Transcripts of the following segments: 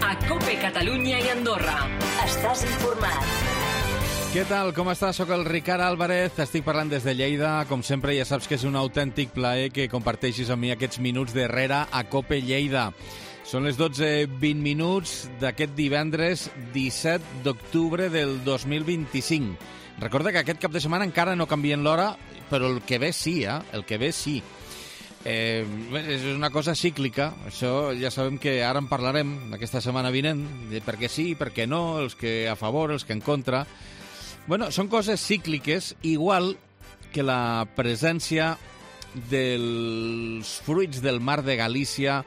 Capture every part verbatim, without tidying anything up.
a COPE Catalunya i Andorra. Estàs informat. Què tal? Com estàs? Soc el Ricard Álvarez, t'estic parlant des de Lleida. Com sempre, ja saps que és un autèntic plaer que comparteixis amb mi aquests minuts d'Herrera a COPE Lleida. Són les dotze vint minuts d'aquest divendres disset d'octubre del dos mil vint-i-cinc. Recorda que aquest cap de setmana encara no canvien l'hora, però el que ve sí, eh? El que ve sí. Eh, és una cosa cíclica, això ja sabem que ara en parlarem aquesta setmana vinent, de per què sí, per què no, els que a favor, els que en contra. Bueno, són coses cícliques, igual que la presència dels fruits del mar de Galícia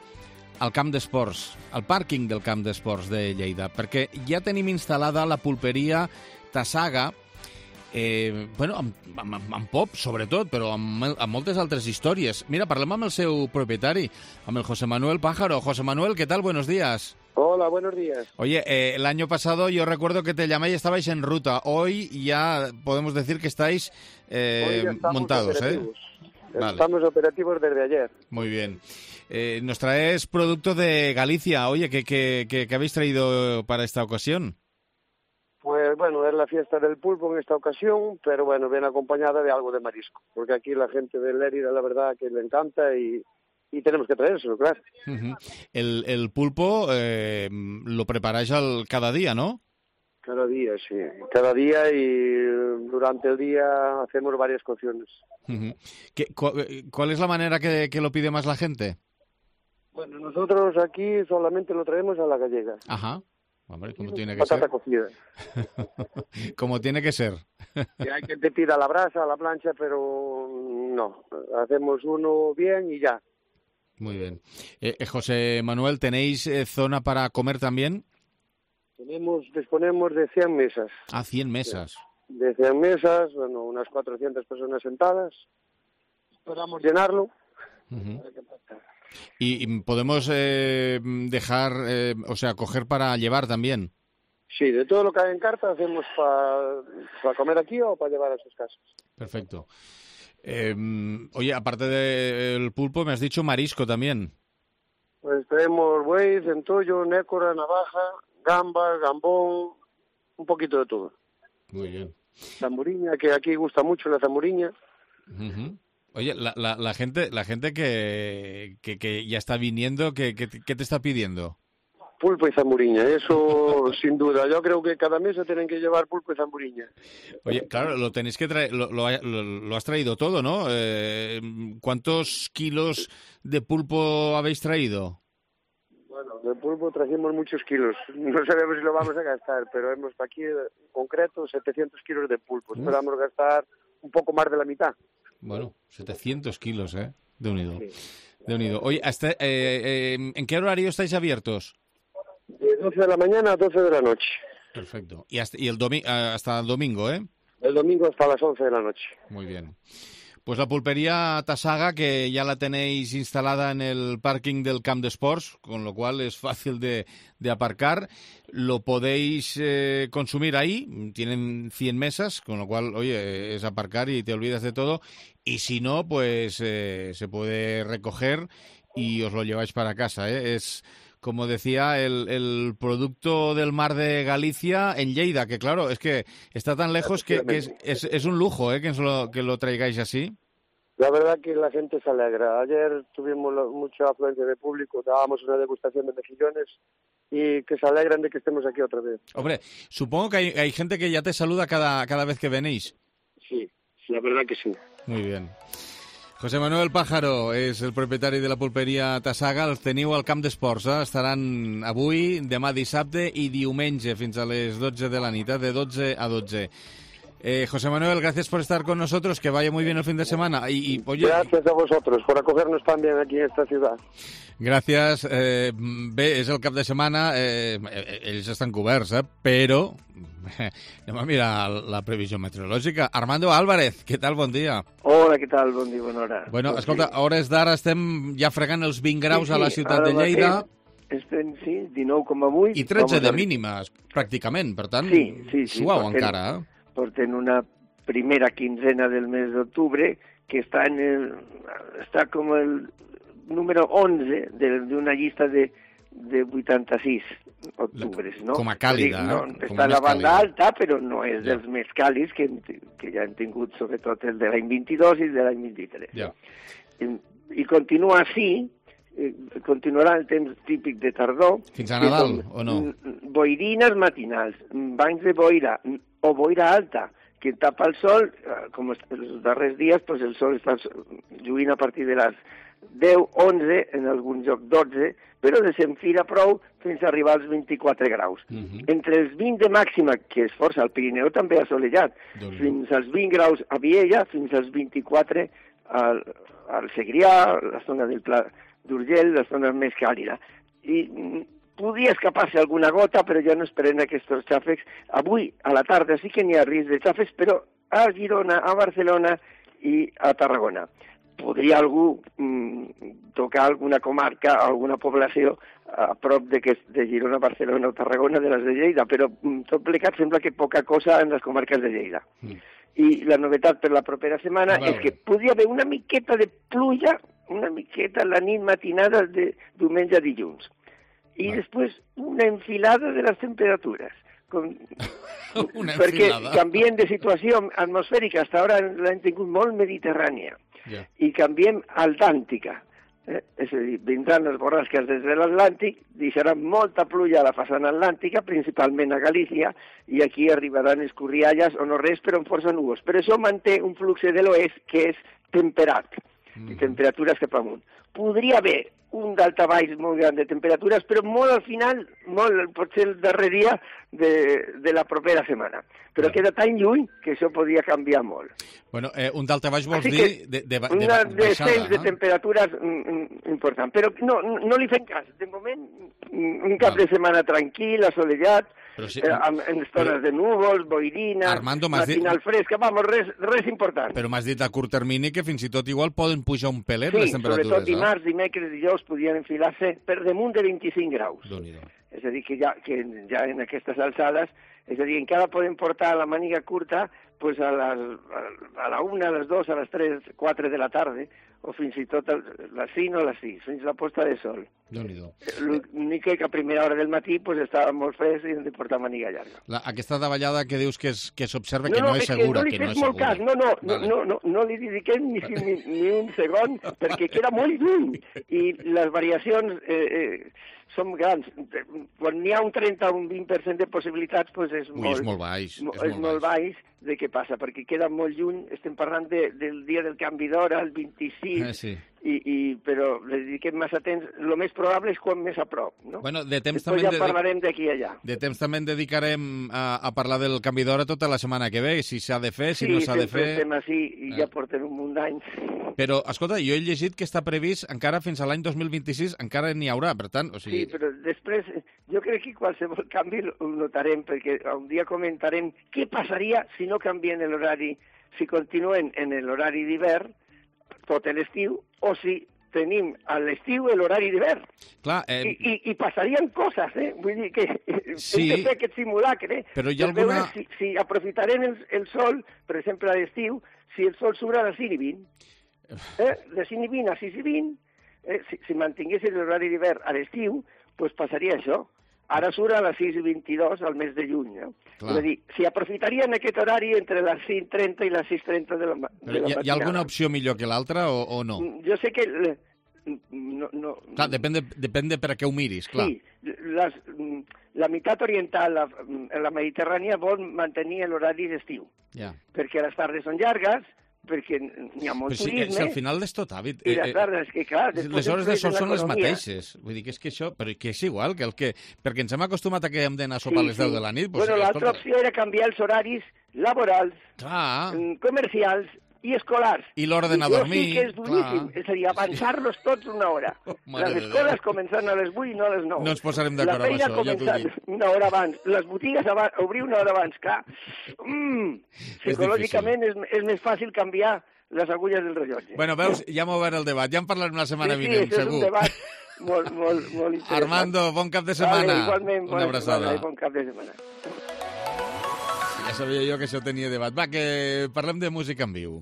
al camp d'esports, al pàrquing del camp d'esports de Lleida, perquè ja tenim instal·lada la pulperia Tassaga, eh, bueno, amb, amb, amb pop, sobretot, però amb, amb moltes altres històries. Mira, parlem amb el seu propietari, amb el José Manuel Pájaro. José Manuel, ¿qué tal? Buenos días. Hola, buenos días. Oye, eh, el año pasado yo recuerdo que te llamé y estabais en ruta. Hoy ya podemos decir que estáis eh, montados, operativos. ¿eh? Vale. Estamos operativos desde ayer. Muy bien. Eh, nos traes producto de Galicia. Oye, ¿qué, qué, qué, qué habéis traído para esta ocasión? Pues bueno, es la fiesta del pulpo en esta ocasión, pero bueno, viene acompañada de algo de marisco, porque aquí la gente de Lérida, la verdad, que le encanta y, y tenemos que traérselo, claro. Uh-huh. El, el pulpo eh, lo preparáis al, cada día, ¿no? Cada día, sí. Cada día y durante el día hacemos varias cocciones. Uh-huh. ¿Qué, cu- ¿Cuál es la manera que, que lo pide más la gente? Bueno, nosotros aquí solamente lo traemos a la gallega. Ajá. Hombre, como tiene que Patata ser. cocida. Como tiene que ser. Y hay quien te pida a la brasa, a la plancha, pero no. Hacemos uno bien y ya. Muy bien. Eh, eh, José Manuel, ¿tenéis eh, zona para comer también? Tenemos, disponemos de cien mesas. Ah, cien mesas. De cien mesas, bueno, unas cuatrocientas personas sentadas. Esperamos llenarlo. Uh-huh. Y, y podemos eh, dejar, eh, o sea, coger para llevar también. Sí, de todo lo que hay en carta hacemos para pa comer aquí o para llevar a sus casas. Perfecto. Eh, oye, aparte del pulpo, me has dicho marisco también. Pues tenemos buey, centollo, nécora, navaja, gamba, gambón, un poquito de todo. Muy bien. Zamburiña, que aquí gusta mucho la zamburiña. Uh-huh. Oye, la, la, la gente la gente que, que, que ya está viniendo, ¿qué, qué, qué te está pidiendo? Pulpo y zamburiña, eso sin duda. Yo creo que cada mesa tienen que llevar pulpo y zamburiña. Oye, claro, lo tenéis que traer, lo, lo, lo, lo has traído todo, ¿no? Eh, ¿Cuántos kilos de pulpo habéis traído? Bueno, de pulpo trajimos muchos kilos. No sabemos si lo vamos a gastar, pero hemos aquí en concreto setecientos kilos de pulpo. Uf. Esperamos gastar un poco más de la mitad. Bueno, setecientos kilos, ¿eh? De unido. Sí. De unido. Oye, hasta, eh, eh, ¿en qué horario estáis abiertos? De doce de la mañana a doce de la noche. Perfecto. Y hasta, y el domi- hasta el domingo, ¿eh? El domingo hasta las once de la noche. Muy bien. Pues la pulpería Tassaga, que ya la tenéis instalada en el parking del Camp d'Esports, con lo cual es fácil de, de aparcar. Lo podéis eh, consumir ahí, tienen cien mesas, con lo cual, oye, es aparcar y te olvidas de todo. Y si no, pues eh, se puede recoger y os lo lleváis para casa, ¿eh? Es, como decía, el, el producto del mar de Galicia en Lleida, que claro, es que está tan lejos que, que es, es, es un lujo, ¿eh? Que lo, que lo traigáis así. La verdad que la gente se alegra. Ayer tuvimos lo- mucha afluencia de público, dábamos una degustación de mejillones y que se alegran de que estemos aquí otra vez. Hombre, supongo que hay, hay gente que ya te saluda cada, cada vez que venís. Sí, sí, la verdad que sí. Muy bien. José Manuel Pájaro és el propietari de la pulperia Tassaga. Els teniu al camp d'esports, eh? Estaran avui, demà dissabte i diumenge fins a les dotze de la nit, eh? De dotze a dotze. Eh, José Manuel, gracias por estar con nosotros, que vaya muy bien el fin de semana. Y, y oye, Gracias a vosotros por acogernos tan bien aquí en esta ciudad. gràcies. Eh, bé, és el cap de setmana, eh, ells estan coberts, eh? Però anem a mirar la previsió meteorològica. Armando Álvarez, què tal? Bon dia. Hola, què tal? Bon dia, bona hora. Bueno, Doncs escolta, sí. a hores d'ara estem ja fregant els vint graus Sí, sí, a la ciutat ara de Lleida. Estem, sí, dinou coma vuit. I tretze Vamos de a- mínimes, pràcticament. Per tant, Sí, sí, sí, suau portem- encara, eh? Porten una primera quinzena del mes d'octubre que està en el, està com el número onze de, de una llista de, de vuitanta-sis. octubre, no? Com a càlida, no? Com està a a la banda càlida. alta, però no és Ja. dels més càlids que, que ja hem tingut, sobretot el de l'any vint-i-dos i el de l'any vint-i-tres. Ja. I, I continua així, eh, continuarà el temps típic de tardor. Fins a Nadal, que són, o no? mm, Boirines matinals, banys de boira mm, o boira alta, que tapa el sol, eh, com est- els darrers dies, pues el sol està lluint a partir de les deu, onze, en algun lloc dotze, però desenfila prou fins a arribar als vint-i-quatre graus. Mhm. Entre els vint de màxima, que és força, al Pirineu també assolellat, Déu-n'hi-do. fins als vint graus a Viella, fins als vint-i-quatre al, al Segrià, la zona del Pla d'Urgell, la zona més càlida. I mm, podria escapar-se alguna gota, però jo no esperem aquests xàfecs. Avui, a la tarda, sí que n'hi ha risc de xàfecs, però a Girona, a Barcelona i a Tarragona. Podria algú mm, tocar alguna comarca, alguna població a prop de, que, de Girona, Barcelona o Tarragona de les de Lleida, però mm, tot plegat sembla que poca cosa en les comarques de Lleida. Mm. I la novetat per la propera setmana A veure. és que podria haver una miqueta de pluja, una miqueta la nit matinada de diumenge a dilluns. I Va. després una enfilada de les temperatures. Com... Una perquè enfilada. canviem de situació atmosfèrica, fins ara l'hem tingut molt mediterrània, Ja. i canviem altàntica. Eh? És a dir, vindran les borrasques des de l'Atlàntic, deixaran molta pluja a la façana atlàntica, principalment a Galícia, i aquí arribaran escorrialles o no res, però amb força núvols. Però això manté un flux de l'oest que és temperat, Mhm. i temperatures cap amunt. Podria haver un daltabaix molt gran de temperatures, però molt al final, molt, potser el darrer dia de, de la propera setmana. Però Ja. queda tan lluny que això podria canviar molt. Bueno, eh, un daltabaix vols Així dir que de, de, de, de Una baixada, descens de no? temperatures mm, mm, important. Però no, no, no li fem cas. De moment, mm, un cap Val. de setmana tranquil, assolellat, Però sí, eh, amb, en estones però- de núvols, boirina, Armando, m'has dit- matinal fresca, vamos, res, res important. Però m'has dit a curt termini que fins i tot igual poden pujar un pelet sí, les temperatures, sobretot eh? dimarts, dimecres, dijous podien enfilar-se per damunt de vint-i-cinc graus. Déu-n'hi-do. És a dir, que ja, que ja en aquestes alçades, és a dir, encara podem portar la màniga curta pues a, les, a la una, a les dos, a les tres, quatre de la tarda, o fins i tot a les cinc o a les sis, fins la posta de sol. Déu-n'hi-do. L'únic que a primera hora del matí pues, estava molt fresc i hem de portar màniga llarga. La, aquesta davallada que dius que és- que s'observa que no, és que segura, no li que no fes és molt segura. cas, no, no, Vale. no, no, no, no li dediquem ni, ni, ni un segon, perquè queda molt lluny, i les variacions eh, eh, són grans. Quan n'hi ha un trenta o un vint per cent de possibilitats, pues és, Ui, molt, és molt baix, mo- és és molt molt baix. baix de què passa, perquè queda molt lluny, estem parlant de, del dia del canvi d'hora, el vint-i-sis, Eh, sí. i, i, però li dediquem massa temps, el més probable és quan més a prop, no? Bueno, de temps Després també... ja de- parlarem d'aquí i allà. De temps també en dedicarem a, a parlar del canvi d'hora tota la setmana que ve, si s'ha de fer, si sí, no s'ha de sempre fer... estem així i Eh. ja portem un munt d'anys. Però, escolta, jo he llegit que està previst encara fins a l'any dos mil vint-i-sis, encara n'hi haurà, per tant, o sigui... Sí, però després jo crec que qualsevol canvi ho notarem, perquè un dia comentarem què passaria si no canvien l'horari, si continuen en l'horari d'hivern tot l'estiu, o si tenim a l'estiu l'horari d'hivern. Clar, I, eh, i, I passarien coses, eh? Vull dir que Sí. hem de fer aquest simulacre, eh? Però hi ha per veure alguna- si, si aprofitarem el, el sol, per exemple, a l'estiu, si el sol surt a les cinc i vint. Eh? De cinc i vint a sis i vint, eh? si, si mantinguessin l'horari d'hivern a l'estiu, doncs passaria això. Ara surt a les sis i vint-i-dos al mes de juny. No? Clar. És a dir, si aprofitarien aquest horari entre les cinc i trenta i les sis i trenta de la, ma- de però la hi, ha, hi ha matinada. alguna opció millor que l'altra o, o no? Jo sé que... eh, No, no, Clar, depèn de, depèn de per a què ho miris, clar. Sí, les, la meitat oriental, la, la Mediterrània, vol mantenir l'horari d'estiu, Ja. perquè les tardes són llargues, perquè n'hi ha molt Però si, turisme, si al final és tot hàbit. i les tardes, que clar... després les hores de sol influeixen són les l'economia. mateixes. Vull dir que és que això... Però que és igual, que el que... Perquè ens hem acostumat a que hem d'anar a sopar a les deu de la nit. Doncs, bueno, l'altra escolta, opció era canviar els horaris laborals, Clar, mm, comercials i escolars. I l'hora d'anar a I això dormir, sí que és duríssim, clar. és a dir, avançar-los tots una hora. Mare les de escoles Déu. començant a les vuit i no a les nou. No ens posarem La d'acord amb feina això, ja t'ho començant dic. una hora abans. Les botigues abans, obrir una hora abans, clar. Mm, psicològicament és, és més fàcil canviar les agulles del rellotge. Bueno, veus, ja hem obert el debat. Ja en parlarem la setmana sí, sí, vinent, això és un segur. debat molt, molt, molt interessant. Armando, bon cap de setmana. Vale, igualment, Una bona abraçada. setmana i bon cap de setmana. Ja sabia jo que això tenia debat. Va, que parlem de música en viu.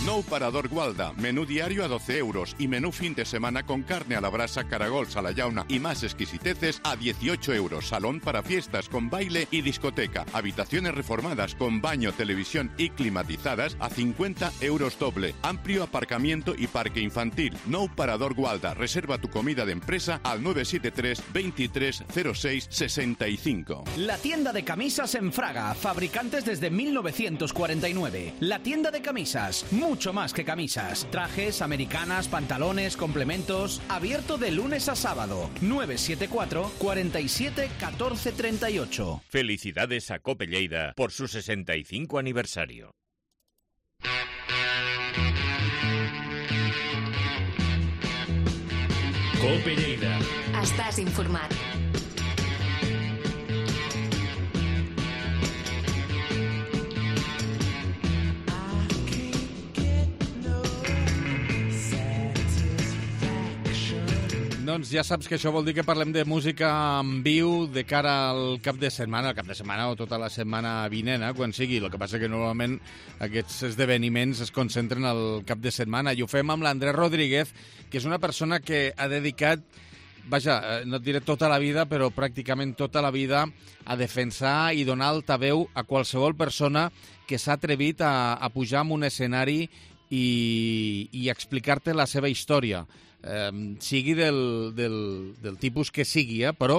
Nou Parador Gualda, menú diario a doce euros y menú fin de semana con carne a la brasa, caragols a la llauna y más exquisiteces a dieciocho euros. Salón para fiestas con baile y discoteca. Habitaciones reformadas con baño, televisión y climatizadas a cincuenta euros doble. Amplio aparcamiento y parque infantil. Nou Parador Gualda. Reserva tu comida de empresa al nueve siete tres, veintitrés, cero seis, sesenta y cinco. La tienda de camisas en Fraga. Fabricantes desde mil novecientos cuarenta y nueve. La tienda de camisas. Mucho más que camisas. Trajes, americanas, pantalones, complementos. Abierto de lunes a sábado. nueve siete cuatro, cuarenta y siete, catorce treinta y ocho. Felicidades a Cope Lleida por su sesenta y cinco aniversario. Cope Lleida. Estàs informat. Doncs ja saps que això vol dir que parlem de música en viu de cara al cap de setmana, al cap de setmana o tota la setmana vinent, eh, quan sigui. El que passa que normalment aquests esdeveniments es concentren al cap de setmana i ho fem amb l'Andrés Rodríguez, que és una persona que ha dedicat, vaja, no et diré tota la vida, però pràcticament tota la vida a defensar i donar altaveu a qualsevol persona que s'ha atrevit a, a pujar en un escenari i, i explicar-te la seva història. Eh, sigui del, del, del tipus que sigui, eh, però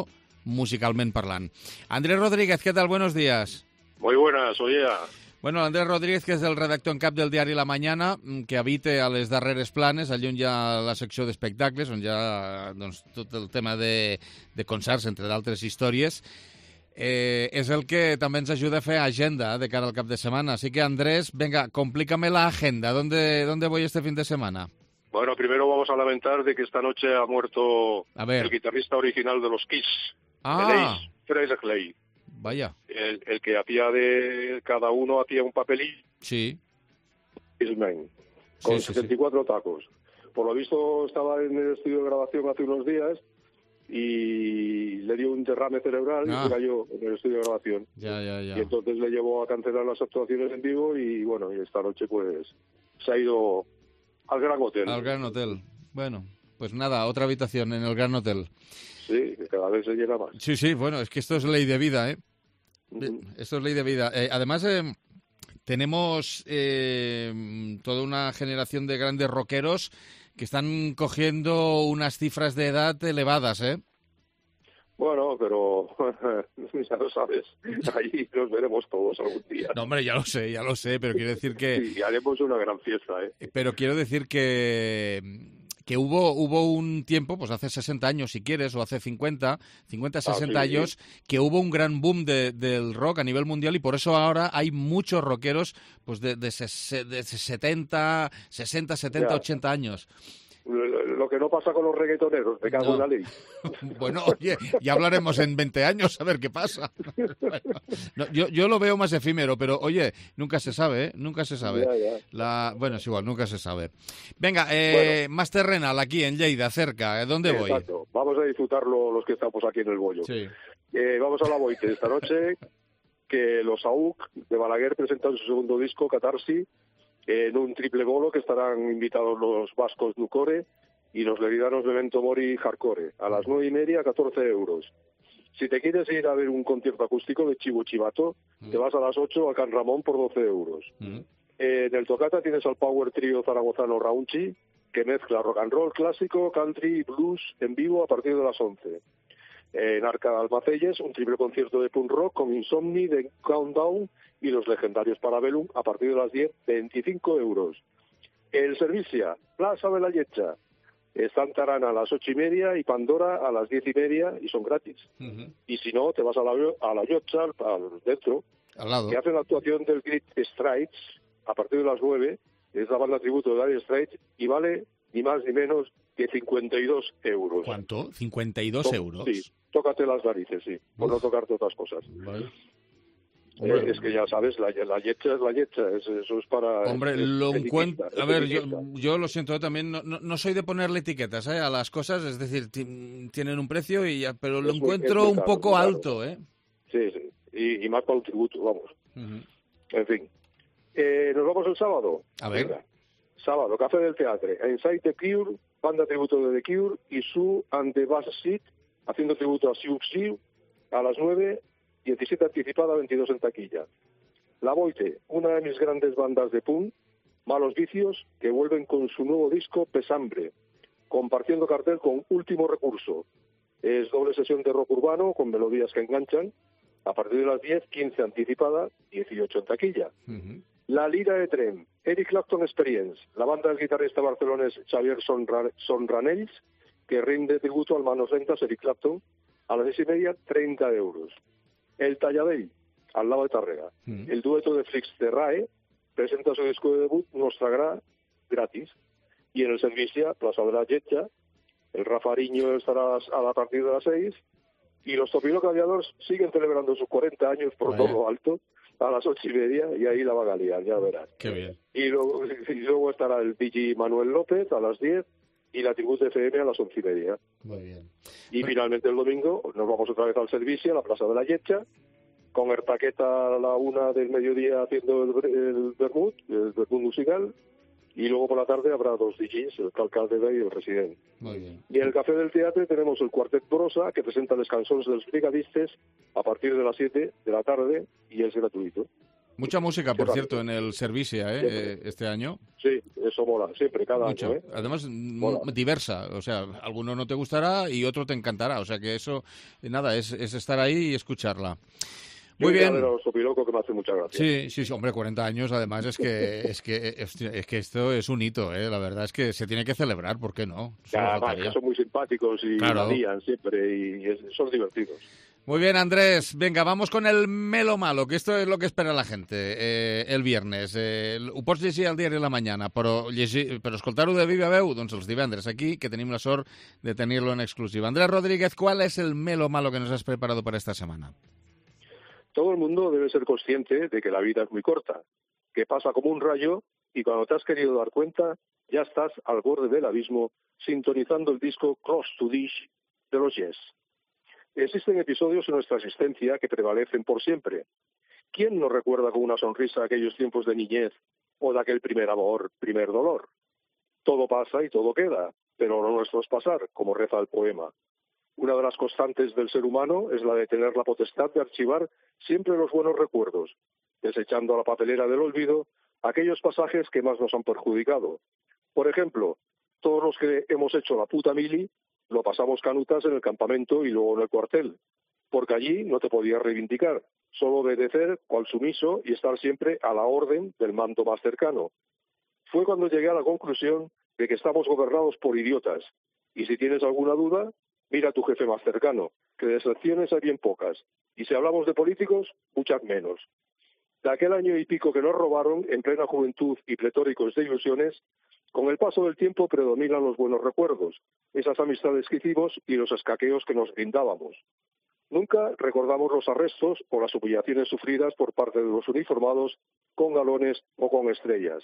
musicalment parlant. Andrés Rodríguez, ¿qué tal? Buenos días. Muy buenas, oye. Bueno, Andrés Rodríguez, que és el redactor en cap del diari La Mañana, que habita a les darreres planes, allà on hi ha la secció d'espectacles, on hi ha doncs, tot el tema de, de concerts, entre d'altres històries, eh, és el que també ens ajuda a fer agenda de cara al cap de setmana. Así que, Andrés, venga, complícame la agenda. ¿Dónde, dónde voy este fin de semana? Bueno, primero vamos a lamentar de que esta noche ha muerto el guitarrista original de los Kiss, ah. Presley. Vaya. El, el que hacía de cada uno hacía un papelillo. Sí. Isman, con sí, sí, setenta y cuatro sí. tacos. Por lo visto estaba en el estudio de grabación hace unos días y le dio un derrame cerebral ah. y se cayó en el estudio de grabación. Ya, ya, ya. Y entonces le llevó a cancelar las actuaciones en vivo y bueno, y esta noche pues se ha ido al Gran Hotel. Al Gran Hotel. Bueno, pues nada, otra habitación en el Gran Hotel. Sí, que cada vez se llena más. Sí, sí, bueno, es que esto es ley de vida, ¿eh? Uh-huh. Esto es ley de vida. Eh, además, eh, tenemos eh, toda una generación de grandes rockeros que están cogiendo unas cifras de edad elevadas, ¿eh? Bueno, pero ya lo sabes, ahí nos veremos todos algún día. No, hombre, ya lo sé, ya lo sé, pero quiero decir que... Sí, haremos una gran fiesta, ¿eh? Pero quiero decir que... que hubo hubo un tiempo, pues hace sesenta años si quieres, o hace cincuenta, cincuenta, sesenta ah, sí, años, sí. que hubo un gran boom de, del rock a nivel mundial y por eso ahora hay muchos rockeros pues de, de, ses, de setenta, sesenta, setenta, ya. ochenta años. Lo que no pasa con los reggaetoneros, me cago no. en la ley. Bueno, oye, ya hablaremos en veinte años a ver qué pasa. Bueno, no, yo, yo lo veo más efímero, pero oye, nunca se sabe, ¿eh? Nunca se sabe. Ya, ya. La... Bueno, es igual, nunca se sabe. Venga, eh, bueno. más terrenal aquí en Lleida, cerca. ¿Dónde voy? Exacto. Vamos a disfrutarlo los que estamos aquí en el bollo. Sí. Eh, vamos a la Boite esta noche, que los A U C de Balaguer presentan su segundo disco, Catarsi, en un triple bolo que estarán invitados los vascos Nucore y los levidanos de Memento Mori Hardcore, a las nueve y media, catorce euros. Si te quieres ir a ver un concierto acústico de Chivo Chivato, mm. te vas a las ocho a Can Ramón por doce euros. Mm. Eh, en el Tocata tienes al Power Trio zaragozano Raunchi, que mezcla rock and roll clásico, country y blues en vivo a partir de las once. Eh, en Arca de Almacelles, un triple concierto de punk rock con Insomni, de Countdown y los legendarios Parabellum a partir de las diez, veinticinco euros. El Servicia, Plaza de la Yecha, están Tarana a las ocho y media y Pandora a las diez y media y son gratis. Uh-huh. Y si no, te vas a la, a la Yocha, al dentro, al lado, que hacen la actuación del Great Straits a partir de las nueve, es la banda tributo de Dire Straits y vale ni más ni menos que cincuenta y dos euros. ¿Cuánto? ¿cincuenta y dos to- euros? Sí, tócate las narices, sí, por Uf. no tocarte otras cosas. Vale. Eh, es que ya sabes, la, la yecha es la yecha, es, eso es para... Hombre, es, lo es encuentro... etiqueta, A ver, es yo, yo lo siento también, no, no, no soy de ponerle etiquetas ¿eh? a las cosas, es decir, t- tienen un precio, y ya, pero lo es encuentro muy, un caro, poco alto, ¿eh? Sí, sí, y, y más para un tributo, vamos. Uh-huh. En fin. Eh, ¿Nos vamos el sábado? A ver. Venga. Sábado, Café del Teatre, Inside the Cure, banda tributo de The Cure y Sue and the Bass Seat, haciendo tributo a Sue Siu, a las nueve, diecisiete anticipada, veintidós en taquilla. La Boite, una de mis grandes bandas de punk, Malos Vicios, que vuelven con su nuevo disco Pesambre, compartiendo cartel con Último Recurso. Es doble sesión de rock urbano con melodías que enganchan, a partir de las diez, quince anticipada, dieciocho en taquilla. Uh-huh. La Lira de Tren, Eric Clapton Experience, la banda del guitarrista barcelonés Xavier Sonra- Sonranells, que rinde tributo al manos lentas Eric Clapton, a las seis y media, treinta euros. El Talladell, al lado de Tàrrega. Mm. El dueto de Flix de Rae presenta su disco de debut Nostragrà gratis. Y en el Servicia, Plaza de la Lletja, el Rafariño estará a la partir de las seis, y los Topino Aviadores siguen celebrando sus cuarenta años por Vaya. todo lo alto, a las ocho y media, y ahí la va a liar, ya verás. Qué bien. Y luego, y luego estará el D J Manuel López a las diez, y la Tribut F M a las once y media. Muy bien. Y bueno, finalmente el domingo nos vamos otra vez al Servicio, a la Plaza de la Lletja, con Ertaqueta a la una del mediodía haciendo el, el vermut, el vermut musical, y luego por la tarde habrá dos D Js, el Calcaldeva y el Resident. Muy bien. Y en el Café del Teatre tenemos el Cuartet Brosa, que presenta les cançons dels brigadistes a partir de las siete de la tarde, y es gratuito. Mucha música, por cierto, en el Servicia, ¿eh? Siempre. Este año. Sí, eso mola, siempre, cada Mucho. año. ¿eh? Además, mola. diversa. O sea, alguno no te gustará y otro te encantará. O sea, que eso, nada, es, es estar ahí y escucharla. Muy bien. Sopiloco, que me hace mucha gracia. Sí, sí, sí, hombre, cuarenta años, además, es que es que es que esto es un hito, ¿eh? La verdad es que se tiene que celebrar, ¿por qué no? Ya, va, que son muy simpáticos y claro. varían siempre y es, son divertidos. Muy bien, Andrés. Venga, vamos con el Melo Malo, que esto es lo que espera la gente eh, el viernes. Eh, ho pots llegir al diari La Mañana, però, llegir, però escoltar-ho de viva veu, doncs els divendres aquí, que tenim la sort de tenir-lo en exclusiva. Andrés Rodríguez, ¿cuál es el Melo Malo que nos has preparado para esta semana? Todo el mundo debe ser consciente de que la vida es muy corta, que pasa como un rayo y cuando te has querido dar cuenta ya estás al borde del abismo sintonizando el disco Cross to Dish de los Yes. Existen episodios en nuestra existencia que prevalecen por siempre. ¿Quién no recuerda con una sonrisa aquellos tiempos de niñez o de aquel primer amor, primer dolor? Todo pasa y todo queda, pero lo nuestro es pasar, como reza el poema. Una de las constantes del ser humano es la de tener la potestad de archivar siempre los buenos recuerdos, desechando a la papelera del olvido aquellos pasajes que más nos han perjudicado. Por ejemplo, todos los que hemos hecho la puta mili lo pasamos canutas en el campamento y luego en el cuartel, porque allí no te podías reivindicar, solo obedecer cual sumiso y estar siempre a la orden del mando más cercano. Fue cuando llegué a la conclusión de que estamos gobernados por idiotas, y si tienes alguna duda, mira a tu jefe más cercano, que de excepciones hay bien pocas, y si hablamos de políticos, muchas menos. De aquel año y pico que nos robaron, en plena juventud y pletóricos de ilusiones, con el paso del tiempo predominan los buenos recuerdos, esas amistades que hicimos y los escaqueos que nos brindábamos. Nunca recordamos los arrestos o las humillaciones sufridas por parte de los uniformados con galones o con estrellas.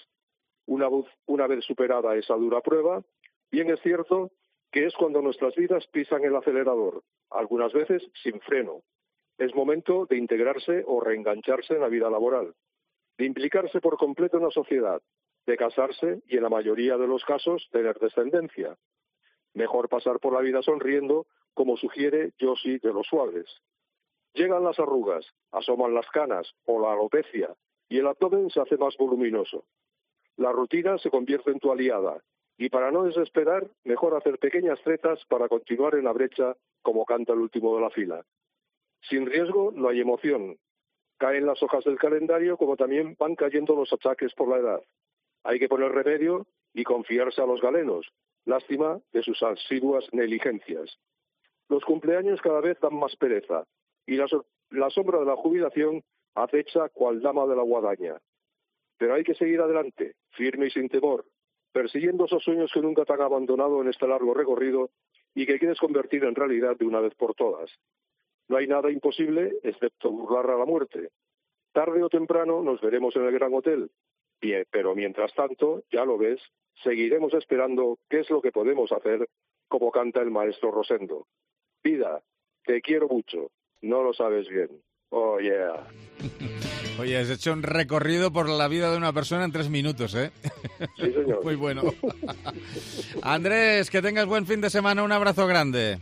Una vez, una vez superada esa dura prueba, bien es cierto que es cuando nuestras vidas pisan el acelerador, algunas veces sin freno. Es momento de integrarse o reengancharse en la vida laboral, de implicarse por completo en la sociedad, de casarse y en la mayoría de los casos tener descendencia. Mejor pasar por la vida sonriendo, como sugiere Josie de los Suaves. Llegan las arrugas, asoman las canas o la alopecia y el abdomen se hace más voluminoso. La rutina se convierte en tu aliada y para no desesperar, mejor hacer pequeñas tretas para continuar en la brecha como canta el último de la fila. Sin riesgo no hay emoción. Caen las hojas del calendario como también van cayendo los achaques por la edad. Hay que poner remedio y confiarse a los galenos. Lástima de sus asiduas negligencias. Los cumpleaños cada vez dan más pereza y la, so- la sombra de la jubilación acecha cual dama de la guadaña. Pero hay que seguir adelante, firme y sin temor, persiguiendo esos sueños que nunca te han abandonado en este largo recorrido y que quieres convertir en realidad de una vez por todas. No hay nada imposible excepto burlar a la muerte. Tarde o temprano nos veremos en el Gran Hotel. Bien, pero mientras tanto, ya lo ves, seguiremos esperando qué es lo que podemos hacer, como canta el maestro Rosendo. Vida, te quiero mucho, no lo sabes bien. Oh, yeah. Oye, has hecho un recorrido por la vida de una persona en tres minutos, ¿eh? Sí, señor. Muy bueno. Andrés, que tengas buen fin de semana. Un abrazo grande.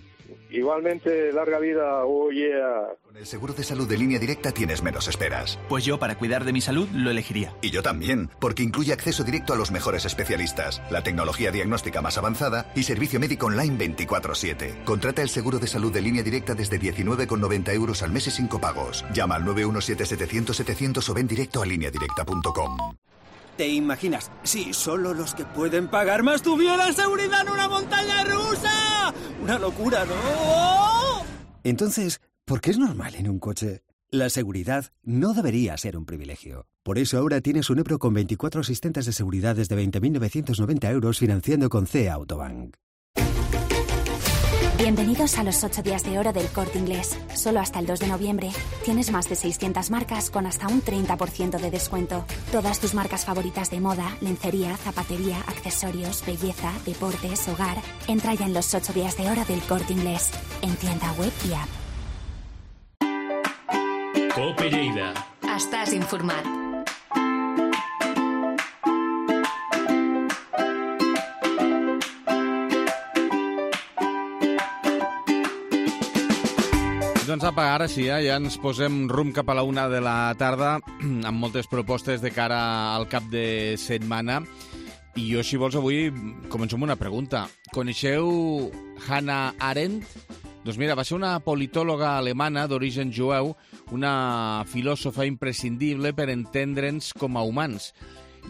Igualmente, larga vida. Oh, yeah. Con el seguro de salud de Línea Directa tienes menos esperas. Pues yo, para cuidar de mi salud, lo elegiría. Y yo también, porque incluye acceso directo a los mejores especialistas, la tecnología diagnóstica más avanzada y servicio médico online veinticuatro siete. Contrata el seguro de salud de Línea Directa desde diecinueve con noventa euros al mes y sin copagos. Llama al nueve uno siete setecientos setecientos o ven directo a línea directa punto com. ¿Te imaginas? Si solo los que pueden pagar más tuvieran seguridad en una montaña rusa. ¡Una locura, ¿no? Entonces, ¿por qué es normal en un coche? La seguridad no debería ser un privilegio. Por eso ahora tienes un Ebro con veinticuatro asistentes de seguridad desde veinte mil novecientos noventa euros financiando con C E A Autobank. Bienvenidos a los ocho días de oro del Corte Inglés. Solo hasta el dos de noviembre tienes más de seiscientas marcas con hasta un treinta por ciento de descuento. Todas tus marcas favoritas de moda, lencería, zapatería, accesorios, belleza, deportes, hogar. Entra ya en los ocho días de oro del Corte Inglés. En tienda web y app. Cope Lleida. Estàs informat. Doncs apa, ara sí, eh? Ja ens posem rumb cap a la una de la tarda amb moltes propostes de cara al cap de setmana. I jo, si vols, avui començo amb una pregunta. Coneixeu Hannah Arendt? Doncs mira, va ser una politòloga alemana d'origen jueu, una filòsofa imprescindible per entendre'ns com a humans.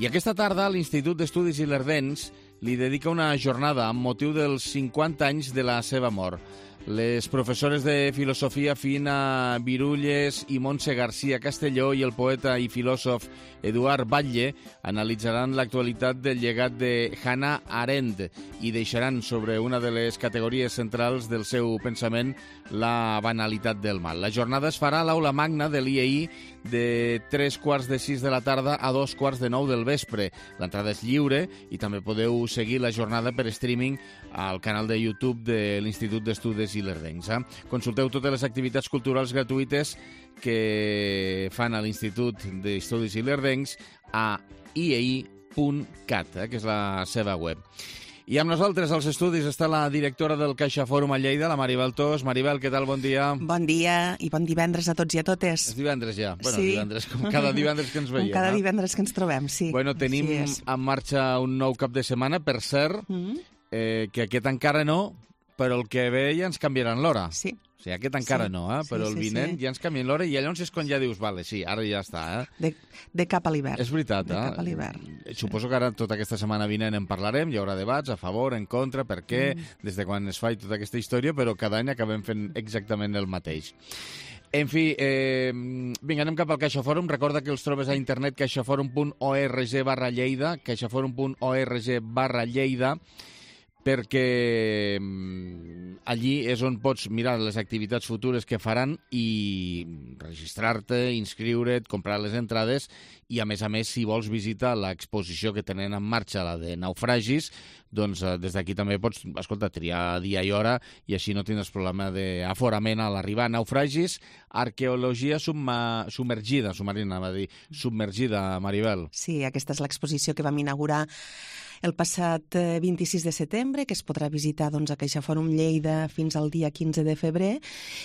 I aquesta tarda l'Institut d'Estudis Ilerdencs li dedica una jornada amb motiu dels cinquanta anys de la seva mort. Les professores de filosofia Fina Virulles i Montse García Castelló i el poeta i filòsof Eduard Batlle analitzaran l'actualitat del llegat de Hannah Arendt i deixaran sobre una de les categories centrals del seu pensament la banalitat del mal. La jornada es farà a l'aula magna de l'I E I de tres quarts de sis de la tarda a dos quarts de nou del vespre. L'entrada és lliure i també podeu seguir la jornada per streaming al canal de YouTube de l'Institut d'Estudis Ilerdencs. Eh? Consulteu totes les activitats culturals gratuïtes que fan a l'Institut d'Estudis Ilerdencs a i e i punt cat, eh? que és la seva web. I amb nosaltres als estudis està la directora del Caixa Fòrum a Lleida, la Maribel Tos. Maribel, què tal? Bon dia. Bon dia i bon divendres a tots i a totes. És divendres ja. Bueno, sí. divendres, com cada divendres que ens veiem. Com cada eh? divendres que ens trobem, sí. Bueno, tenim sí en marxa un nou cap de setmana, per cert, mm. eh, que aquest encara no, però el que ve ja ens canviaran l'hora. Sí. O sigui, aquest encara sí. no, eh? però sí, el vinent sí, sí. ja ens canvien l'hora i llavors és quan ja dius, vale, sí, ara ja està. Eh? De, de cap a l'hivern. És veritat, de eh? cap a l'hivern. Suposo que ara tota aquesta setmana vinent en parlarem, hi haurà debats a favor, en contra, per què, mm. des de quan es fa i tota aquesta història, però cada any acabem fent exactament el mateix. En fi, eh, vinga, anem cap al CaixaForum. Recorda que els trobes a internet caixaforum punt org barra Lleida, caixaforum punt org barra Lleida, perquè allí és on pots mirar les activitats futures que faran i registrar-te, inscriure't, comprar les entrades i, a més a més, si vols visitar l'exposició que tenen en marxa, la de naufragis, doncs des d'aquí també pots, escolta, triar dia i hora i així no tindràs problema d'aforament a l'arribar. Naufragis, arqueologia subma, submergida, submarina, va dir, submergida, Maribel. Sí, aquesta és l'exposició que vam inaugurar el passat vint-i-sis de setembre, que es podrà visitar doncs, a CaixaForum Lleida fins al dia quinze de febrer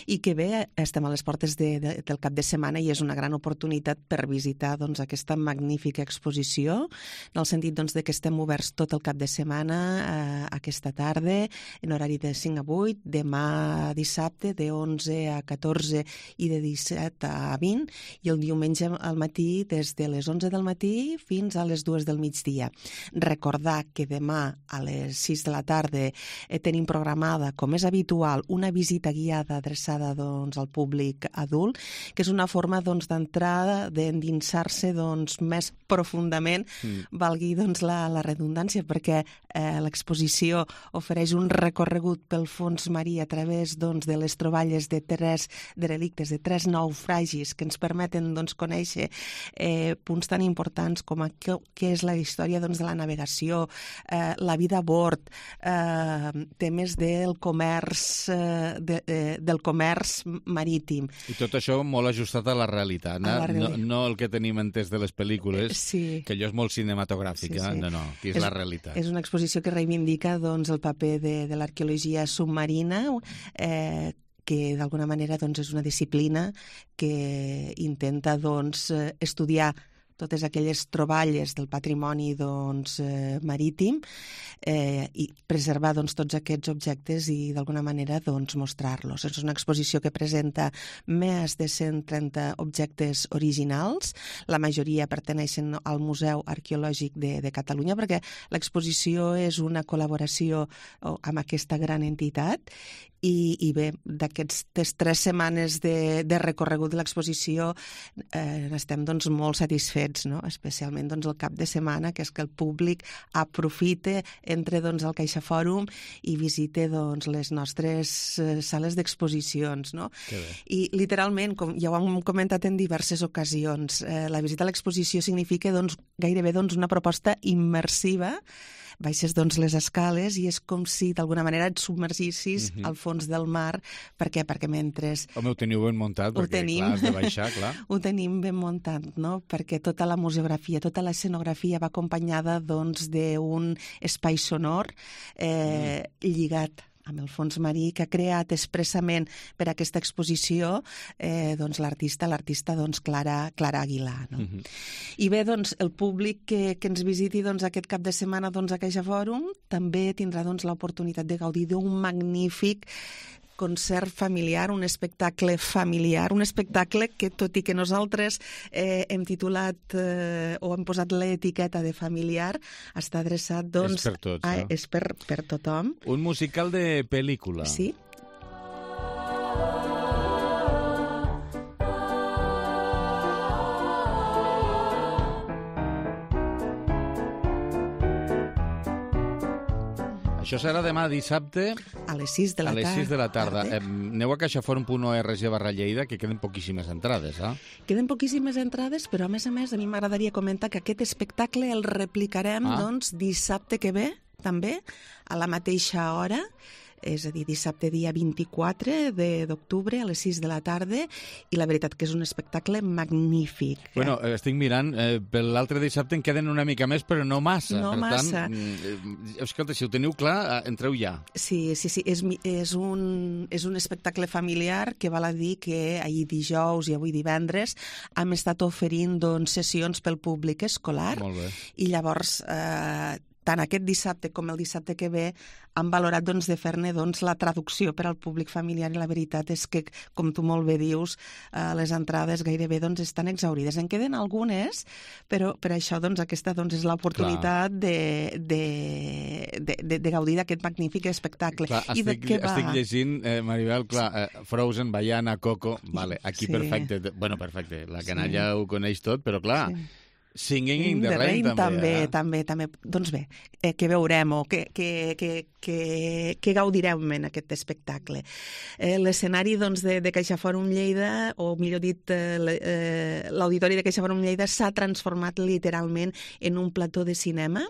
i que bé, estem a les portes de, de, del cap de setmana i és una gran oportunitat per visitar doncs, aquesta magnífica exposició, en el sentit doncs, de que estem oberts tot el cap de setmana eh, aquesta tarda, en horari de cinc a vuit, demà dissabte de onze a catorze i de disset a vint, i el diumenge al matí des de les onze del matí fins a les dues del migdia. Recordar que demà a les sis de la tarda eh, tenim programada, com és habitual, una visita guiada adreçada doncs, al públic adult, que és una forma doncs, d'entrar, d'endinsar-se doncs, més profundament, mm. valgui doncs, la, la redundància, perquè eh, Eh, l'exposició ofereix un recorregut pel fons marí a través doncs, de les troballes de tres derelictes, de tres naufragis que ens permeten doncs, conèixer eh, punts tan importants com a què, què és la història doncs, de la navegació, eh, la vida a bord, eh, temes del comerç, eh, de, eh, del comerç marítim. I tot això molt ajustat a la realitat, no, la realitat. no, no el que tenim entès de les pel·lícules, sí. que allò és molt cinematogràfic, sí, sí. no, no, que és, és la realitat. És una exposició que reivindica doncs, el paper de, de l'arqueologia submarina, eh, que d'alguna manera doncs, és una disciplina que intenta doncs, estudiar totes aquelles troballes del patrimoni doncs, eh, marítim eh, i preservar doncs, tots aquests objectes i d'alguna manera doncs, mostrar-los. És una exposició que presenta més de cent trenta objectes originals, la majoria perteneixen al Museu Arqueològic de, de Catalunya, perquè l'exposició és una col·laboració amb aquesta gran entitat. I, i bé, d'aquestes tres setmanes de, de recorregut de l'exposició eh, estem doncs, molt satisfets, no? Especialment doncs, el cap de setmana, que és que el públic aprofite, entre doncs, al CaixaFòrum i visite doncs, les nostres eh, sales d'exposicions. No? I literalment, com ja ho hem comentat en diverses ocasions, eh, la visita a l'exposició significa doncs, gairebé doncs, una proposta immersiva. Baixes doncs, les escales i és com si d'alguna manera et submergissis uh-huh. al fons del mar. Per què? Perquè mentre... Home, ho teniu ben muntat, perquè tenim... clar, has de baixar, clar. Ho tenim ben muntat, no? Perquè tota la museografia, tota l'escenografia va acompanyada doncs, d'un espai sonor eh, mm. lligat amb el fons marí, que ha creat expressament per a aquesta exposició eh, doncs, l'artista, l'artista doncs, Clara, Clara Aguilar. No? Uh-huh. I bé, doncs, el públic que, que ens visiti doncs, aquest cap de setmana doncs, a CaixaFòrum també tindrà doncs, l'oportunitat de gaudir d'un magnífic concert familiar, un espectacle familiar, un espectacle que, tot i que nosaltres eh, hem titulat eh, o hem posat l'etiqueta de familiar, està adreçat, doncs... És per tots, a, no? És per, per tothom. Un musical de pel·lícula. Sí. Això serà demà dissabte... A les sis de la tarda. A les sis de la tarda. Eh, aneu a caixaforum punt org barra Lleida, que queden poquíssimes entrades, eh? Queden poquíssimes entrades, però a més a més a mi m'agradaria comentar que aquest espectacle el replicarem ah. doncs, dissabte que ve, també, a la mateixa hora, és a dir, dissabte dia vint-i-quatre d'octubre a les sis de la tarda, i la veritat que és un espectacle magnífic. Bueno, eh, estic mirant, eh, per l'altre dissabte en queden una mica més, però no massa. No per massa. Tant, eh, escolta, si ho teniu clar, entreu ja. Sí, sí, sí, és, és, un, és un espectacle familiar que val a dir que ahir dijous i avui divendres hem estat oferint doncs, sessions pel públic escolar. Molt bé. I llavors... Eh, tant aquest dissabte com el dissabte que ve han valorat doncs, de fer-ne doncs, la traducció per al públic familiar, i la veritat és que, com tu molt bé dius, eh, les entrades gairebé doncs, estan exaurides. En queden algunes, però per això doncs, aquesta doncs, és l'oportunitat de, de, de, de, de gaudir d'aquest magnífic espectacle. Clar, I estic, de què va? estic llegint, eh, Maribel, clar, eh, Frozen, Baiana, Coco, vale, aquí Sí. perfecte, bueno, perfecte, la canalla Sí. ho coneix tot, però clar... Sí. Singing in the, the Rain, Rain també, eh? també, també. Doncs bé, eh, què veurem o què, què, què, què, què gaudirem en aquest espectacle? Eh, L'escenari doncs, de, de CaixaFòrum Lleida, o millor dit, eh, l'auditori de CaixaFòrum Lleida s'ha transformat literalment en un plató de cinema,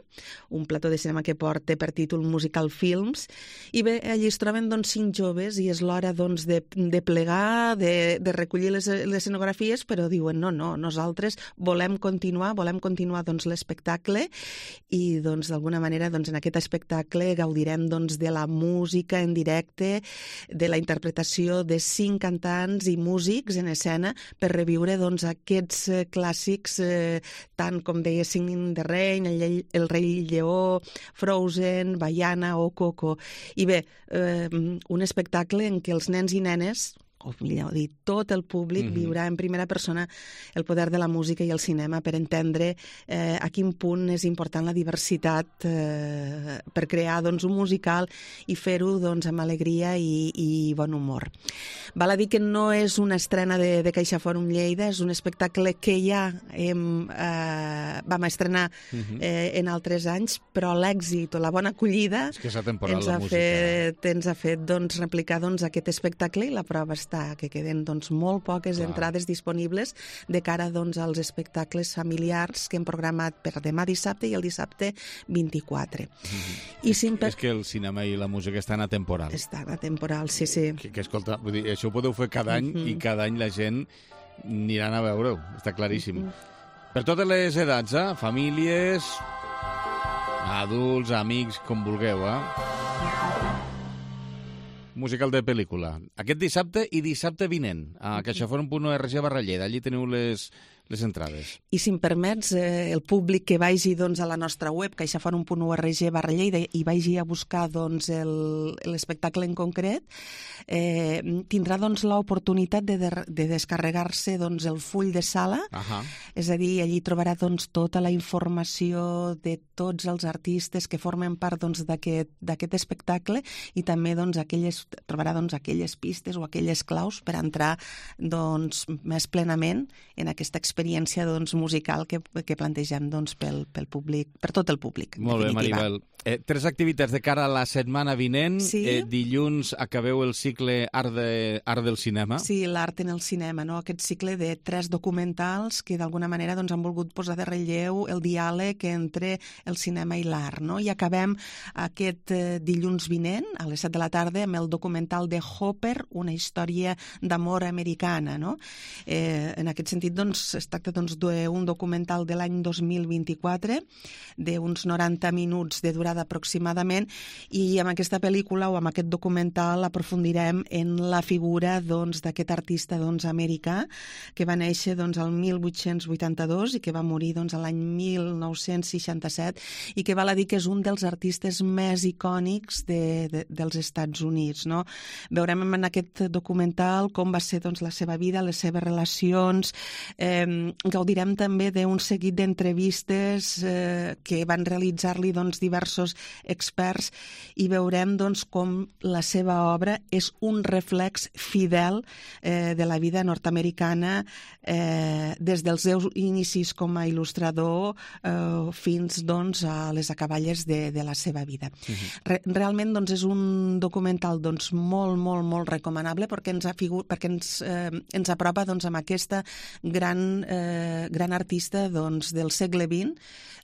un plató de cinema que porta per títol Musical Films, i bé, allí es troben doncs, cinc joves i és l'hora doncs, de, de plegar, de, de recollir les, les escenografies, però diuen no, no, nosaltres volem continuar volem continuar doncs, l'espectacle i doncs, d'alguna manera doncs, en aquest espectacle gaudirem doncs, de la música en directe, de la interpretació de cinc cantants i músics en escena per reviure doncs, aquests eh, clàssics, eh, tant com deia Singing in the Rain, el, el Rei Lleó, Frozen, Baiana o Coco. I bé, eh, un espectacle en què els nens i nenes o millor dit, tot el públic mm-hmm. viurà en primera persona el poder de la música i el cinema per entendre eh, a quin punt és important la diversitat eh, per crear doncs, un musical i fer-ho doncs, amb alegria i, i bon humor. Val a dir que no és una estrena de, de CaixaForum Lleida, és un espectacle que ja hem, eh, vam estrenar mm-hmm. eh, en altres anys, però l'èxit o la bona acollida és que és atemporal, ens ha la música. fet, ens ha fet doncs, replicar doncs, aquest espectacle i la prova està que queden doncs, molt poques Clar. entrades disponibles de cara doncs, als espectacles familiars que hem programat per demà dissabte i el dissabte vint-i-quatre. Mm-hmm. I és, simple... és que el cinema i la música estan atemporal. Estan atemporal, sí, sí. Que, que escolta, vull dir, això ho podeu fer cada any mm-hmm. i cada any la gent aniran a veure-ho, està claríssim. Mm-hmm. Per totes les edats, eh? Famílies, adults, amics, com vulgueu, eh? Musical de pel·lícula. Aquest dissabte i dissabte vinent a caixaforum punt org barra Lleida. Allí teniu les, les entrades. I si em permets, eh, el públic que vagi doncs, a la nostra web, caixaforum punt org barra Lleida, i vagi a buscar doncs, l'espectacle en concret, eh, tindrà doncs, l'oportunitat de, de, de descarregar-se doncs, el full de sala. Ahà. És a dir, allí trobarà doncs, tota la informació de tots els artistes que formen part doncs, d'aquest espectacle i també doncs, aquelles, trobarà doncs, aquelles pistes o aquelles claus per entrar doncs, més plenament en aquesta experiència doncs, musical que, que plantegem doncs, pel, pel públic, per tot el públic. Molt bé, Maribel. Eh, tres activitats de cara a la setmana vinent. Sí. Eh, dilluns acabeu el cicle Art, de, Art del Cinema. Sí, l'art en el cinema, no? Aquest cicle de tres documentals que d'alguna manera doncs, han volgut posar de relleu el diàleg entre el cinema i l'art. No? I acabem aquest eh, dilluns vinent, a les set de la tarda, amb el documental de Hopper, una història d'amor americana. No? Eh, en aquest sentit, doncs, es tracta doncs, d'un documental de l'any dos mil vint-i-quatre, d'uns noranta minuts de durada aproximadament, i amb aquesta pel·lícula o amb aquest documental aprofundirem en la figura doncs, d'aquest artista doncs, americà que va néixer doncs, el mil vuit-cents vuitanta-dos i que va morir doncs, l'any mil nou-cents seixanta-set i que val a dir que és un dels artistes més icònics de, de, dels Estats Units. No? Veurem en aquest documental com va ser doncs, la seva vida, les seves relacions, eh, gaudirem també d'un seguit d'entrevistes eh, que van realitzar-li doncs, diversos experts i veurem doncs, com la seva obra és un reflex fidel eh, de la vida nord-americana eh, des dels seus inicis com a il·lustrador eh, fins doncs, a les acaballes de, de la seva vida. Uh-huh. Re, realment doncs, és un documental doncs, molt, molt, molt recomanable perquè ens, afigur, perquè ens, eh, ens apropa doncs, amb aquesta gran, eh, gran artista doncs, del segle vint,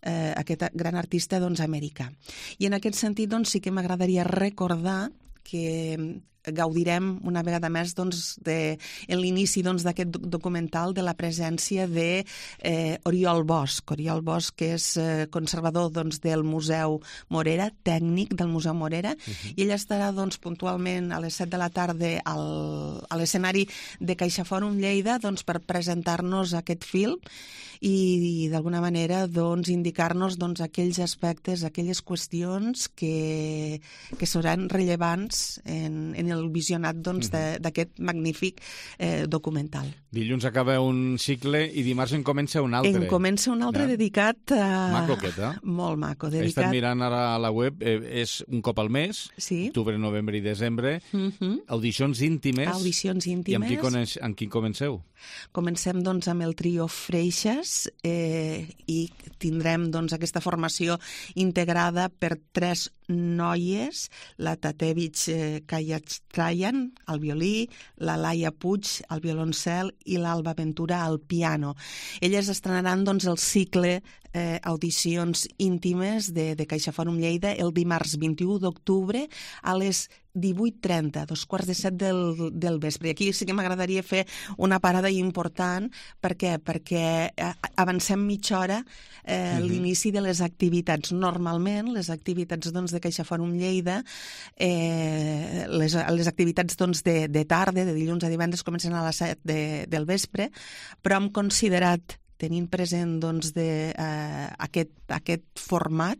eh, aquest gran artista doncs, americà. I en aquest sentit doncs, sí que m'agradaria recordar que gaudirem una vegada més doncs, de, en l'inici doncs, d'aquest documental de la presència de eh, Oriol Bosch. Oriol Bosch, que és eh, conservador doncs, del Museu Morera, tècnic del Museu Morera, uh-huh. i ell estarà doncs, puntualment a les set de la tarda al, a l'escenari de CaixaForum Lleida doncs, per presentar-nos aquest film i, i d'alguna manera doncs, indicar-nos doncs, aquells aspectes, aquelles qüestions que, que seran rellevants en, en el visionat doncs, uh-huh. d'aquest magnífic eh, documental. Dilluns acaba un cicle i dimarts en comença un altre. En comença un altre ja. dedicat a... Maco aquest, eh? Molt maco. Dedicat... He estat mirant ara a la web, eh, és un cop al mes, sí. octubre, novembre i desembre, uh-huh. audicions íntimes. Audicions íntimes. I amb qui, coneix, amb qui comenceu? Comencem doncs, amb el trio Freixas eh, i tindrem doncs, aquesta formació integrada per tres noies, la Tatevich eh, Kayatrayan al violí, la Laia Puig al violoncel i l'Alba Ventura al piano. Elles estrenaran doncs, el cicle eh, audicions íntimes de, de CaixaForum Lleida el dimarts vint-i-u d'octubre a les divuit trenta, dos quarts de set del, del vespre. Aquí sí que m'agradaria fer una parada important. Per què? Perquè avancem mitja hora eh, uh-huh. l'inici de les activitats. Normalment, les activitats doncs, de CaixaForum Lleida, eh, les, les activitats doncs, de, de tarda, de dilluns a divendres, comencen a les set de, del vespre, però hem considerat tenint present doncs, de, eh, aquest, aquest format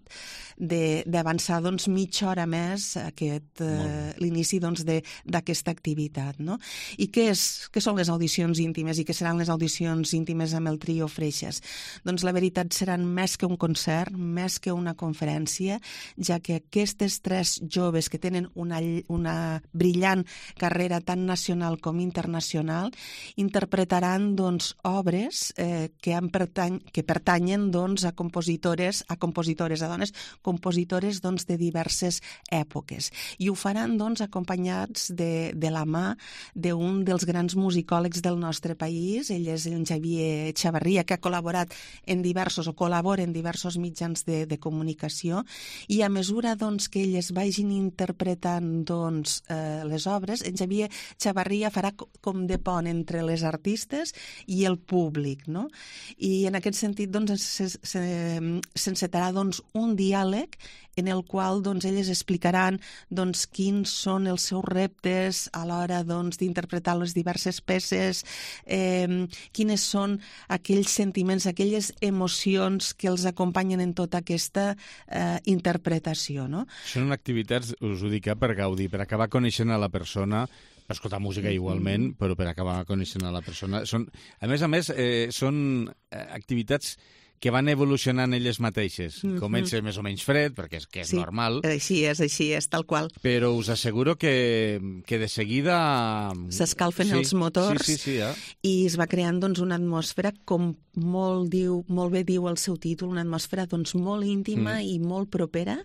d'avançar doncs, mitja hora més aquest, eh, l'inici doncs, d'aquesta activitat. No? I què, és, què són les audicions íntimes i què seran les audicions íntimes amb el trio Freixas? Doncs la veritat seran més que un concert, més que una conferència, ja que aquestes tres joves que tenen una, una brillant carrera tant nacional com internacional interpretaran doncs, obres eh, que, han pertany que pertanyen doncs, a compositores, a compositores, a dones compositores doncs, de diverses èpoques. I ho faran doncs, acompanyats de, de la mà d'un dels grans musicòlegs del nostre país. Ell és en Xavier Chavarria, que ha col·laborat en diversos o col·labora en diversos mitjans de, de comunicació, i a mesura doncs, que elles vagin interpretant doncs, eh, les obres, en Xavier Chavarria farà com de pont entre les artistes i el públic, no? I en aquest sentit doncs, s'encetarà doncs, un diàleg en el qual doncs, elles explicaran doncs, quins són els seus reptes a l'hora doncs, d'interpretar les diverses peces, eh, quines són aquells sentiments, aquelles emocions que els acompanyen en tota aquesta eh, interpretació. No? Són activitats, us ho dic, per gaudir, per acabar coneixent a la persona, per escoltar música igualment, mm-hmm. però per acabar coneixent a la persona. Són, a més a més, eh, són activitats que van evolucionant elles mateixes. Mm-hmm. Comença més o menys fred, perquè és, que és sí, normal. Així és, així és, tal qual. Però us asseguro que, que de seguida... S'escalfen sí, els motors sí, sí, sí, ja. I es va creant doncs, una atmosfera, com molt, diu, molt bé diu el seu títol, una atmosfera doncs, molt íntima mm. i molt propera,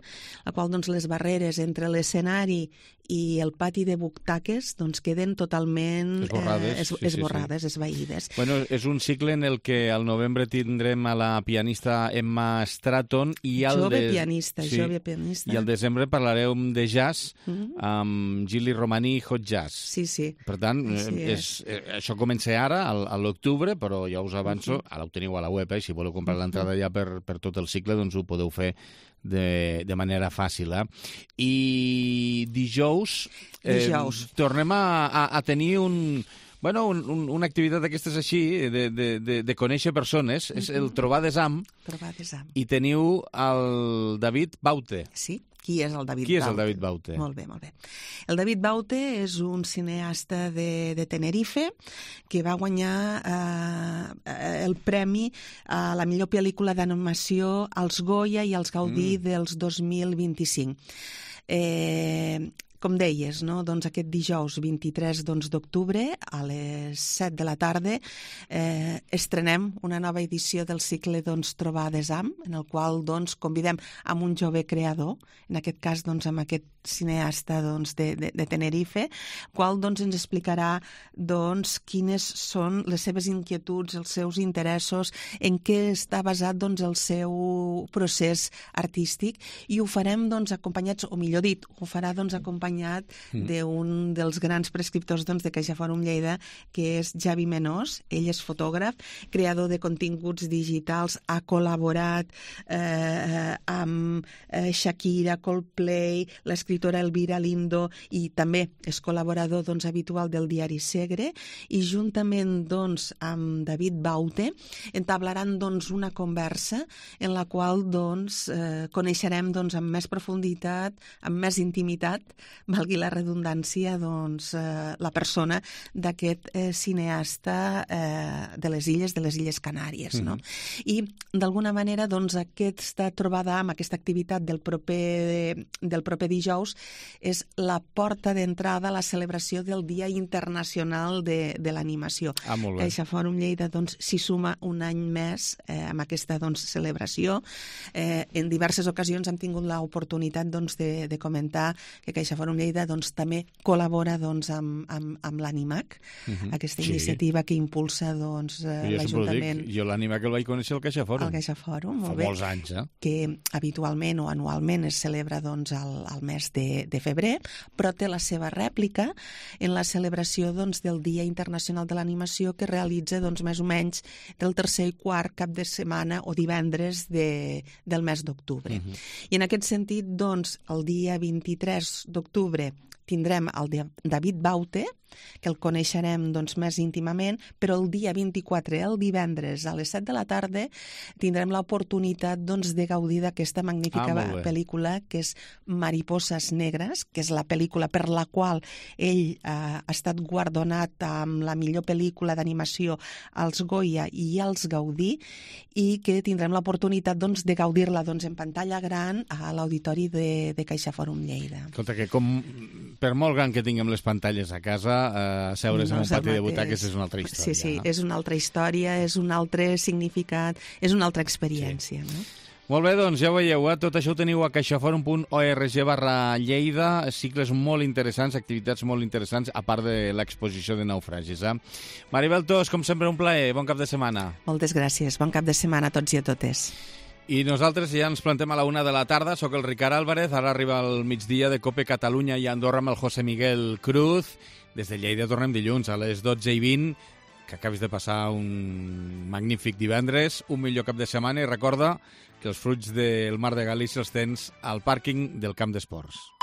la qual doncs, les barreres entre l'escenari i el pati de butaques doncs, queden totalment esborrades, eh, es, sí, esborrades sí, sí. esvaïdes. Bueno, és un cicle en el que al novembre tindrem a la pianista Emma Stratton i al jove de... pianista, sí, jove pianista. I al desembre parlarem de jazz mm-hmm. amb Gili Romani i Hot Jazz. Sí, sí. Per tant, és, és, és, això comença ara, al, a l'octubre, però ja us avanço, mm-hmm. ara ho teniu a la web, eh? Si voleu comprar mm-hmm. l'entrada ja per, per tot el cicle, doncs ho podeu fer de, de manera fàcil. Eh? I dijous, eh, dijous. tornem a, a, a tenir un... Bueno, un, un, una activitat d'aquestes així, de, de, de, de conèixer persones, mm-hmm. és el Trobar Desam. Trobar Desam. I teniu el David Baute. Sí. Qui és el David Qui Baute? és el David Baute? Molt bé, molt bé. El David Baute és un cineasta de, de Tenerife que va guanyar eh, el premi a la millor pel·lícula d'animació als Goya i als Gaudí mm. dels dos mil vint-i-cinc. Eh... Com deies, no? doncs aquest dijous vint-i-tres d'octubre a les set de la tarda eh, estrenem una nova edició del cicle doncs, Trobar Desam, en el qual doncs, convidem amb un jove creador, en aquest cas doncs, amb aquest cineasta doncs, de, de, de Tenerife, qual doncs, ens explicarà doncs, quines són les seves inquietuds, els seus interessos, en què està basat doncs, el seu procés artístic, i ho farem doncs, acompanyats, o millor dit, ho farà doncs, acompanyat Mm. d'un dels grans prescriptors doncs, de CaixaForum Lleida, que és Javi Menós. Ell és fotògraf, creador de continguts digitals, ha col·laborat eh, amb eh, Shakira, Coldplay, l'escriptora Elvira Lindo, i també és col·laborador doncs, habitual del diari Segre, i juntament doncs, amb David Baute entablaran doncs, una conversa en la qual doncs, eh, coneixerem doncs, amb més profunditat, amb més intimitat, valgui la redundància, doncs, eh, la persona d'aquest eh, cineasta eh, de les illes, de les Illes Canàries. Mm-hmm. No? I, d'alguna manera, doncs, aquesta trobada amb aquesta activitat del proper, del proper dijous és la porta d'entrada a la celebració del Dia Internacional de, de l'Animació. Ah, molt bé. CaixaForum Lleida doncs, s'hi suma un any més eh, amb aquesta doncs, celebració. Eh, en diverses ocasions hem tingut l'oportunitat doncs, de, de comentar que CaixaForum Lleida doncs, també col·labora doncs, amb, amb, amb l'Animac, uh-huh. aquesta sí. iniciativa que impulsa doncs, l'Ajuntament. Jo l'Animac el vaig conèixer al CaixaForum. Al CaixaForum, molt Fa bé. molts anys, eh? Que habitualment o anualment es celebra doncs, al, al mes de, de febrer, però té la seva rèplica en la celebració doncs, del Dia Internacional de l'Animació, que realitza doncs, més o menys del tercer i quart cap de setmana o divendres de, del mes d'octubre. Uh-huh. I en aquest sentit, doncs, el dia vint-i-tres d'octubre tindrem el de David Baute, que el coneixerem doncs, més íntimament, però el dia vint-i-quatre, el divendres, a les set de la tarda, tindrem l'oportunitat doncs, de gaudir d'aquesta magnífica Ah, molt bé. pel·lícula, que és Mariposas Negres, que és la pel·lícula per la qual ell eh, ha estat guardonat amb la millor pel·lícula d'animació als Goya i als Gaudí, i que tindrem l'oportunitat doncs, de gaudir-la doncs, en pantalla gran a l'auditori de, de Caixa Fòrum Lleida. Escolta, que com per molt gran que tinguem les pantalles a casa, eh, seure's en un és el pati de mateix. butaques és una altra història. Sí, sí, no? és una altra història, és un altre significat, és una altra experiència. Sí. No? Molt bé, doncs ja ho veieu, eh? Tot això ho teniu a caixaforum punt org barra Lleida, cicles molt interessants, activitats molt interessants, a part de l'exposició de naufragis. Eh? Maribel Tos, com sempre, un plaer, bon cap de setmana. Moltes gràcies, bon cap de setmana a tots i a totes. I nosaltres ja ens plantem a la una de la tarda, sóc el Ricard Álvarez, ara arriba el migdia de Cope Catalunya i Andorra amb el José Miguel Cruz. Des de Lleida tornem dilluns a les dotze i vint, que acabis de passar un magnífic divendres, un millor cap de setmana, i recorda que els fruits del Mar de Galícia els tens al pàrquing del Camp d'Esports.